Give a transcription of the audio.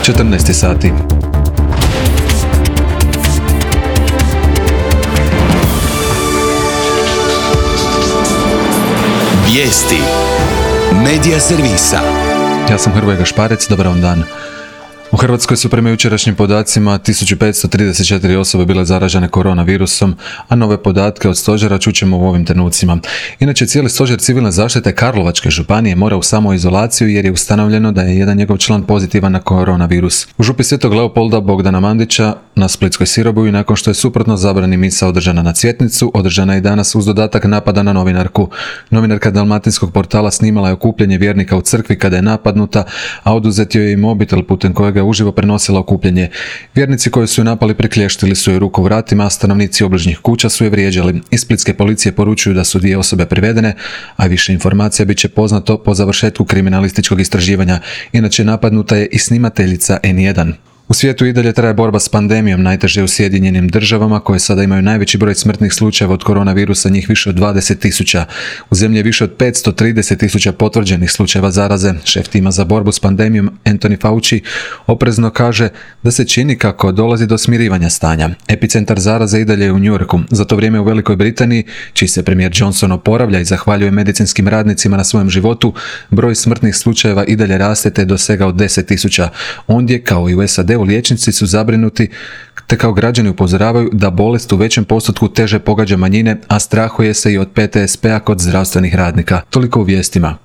14 sati. Vijesti Medija servisa. Ja sam Hrvoje Gašparec, dobar vam dan. U Hrvatskoj su prema jučerašnjim podacima 1534 osobe bile zaražene koronavirusom, a nove podatke od stožera čućemo u ovim trenucima. Inače, cijeli stožer civilne zaštite Karlovačke županije mora u samoizolaciju jer je ustanovljeno da je jedan njegov član pozitivan na koronavirus. U župi Svetog Leopolda Bogdana Mandića na Splitskoj Sirobuji, nakon što je suprotno zabrani misa održana na Cvjetnicu, održana je i danas uz dodatak napada na novinarku. Novinarka dalmatinskog portala snimala je okupljanje vjernika u crkvi kada je napadnuta, a oduzet joj je i mobitel putem kojega uživo prenosila okupljanje. Vjernici koji su je napali priklještili su joj ruku vratima, a stanovnici obližnjih kuća su je vrijeđali. Iz splitske policije poručuju da su 2 osobe privedene, a više informacija bit će poznato po završetku kriminalističkog istraživanja. Inače, napadnuta je i snimateljica N1. U svijetu i dalje traje borba s pandemijom, najteže u Sjedinjenim Državama, koje sada imaju najveći broj smrtnih slučajeva od koronavirusa, njih više od 20.000. U zemlji je više od 530.000 potvrđenih slučajeva zaraze. Šef tima za borbu s pandemijom Anthony Fauci oprezno kaže da se čini kako dolazi do smirivanja stanja. Epicentar zaraze i dalje je u New Yorku. Za to vrijeme u Velikoj Britaniji, čiji se premijer Johnson oporavlja i zahvaljuje medicinskim radnicima na svojem životu, broj smrtnih slučajeva i dalje raste te dosegao 10.000. Ondje, kao i u SAD-u, liječnici su zabrinuti te kao građani upozoravaju da bolest u većem postotku teže pogađa manjine, a strahuje se i od PTSP-a kod zdravstvenih radnika. Toliko u vijestima.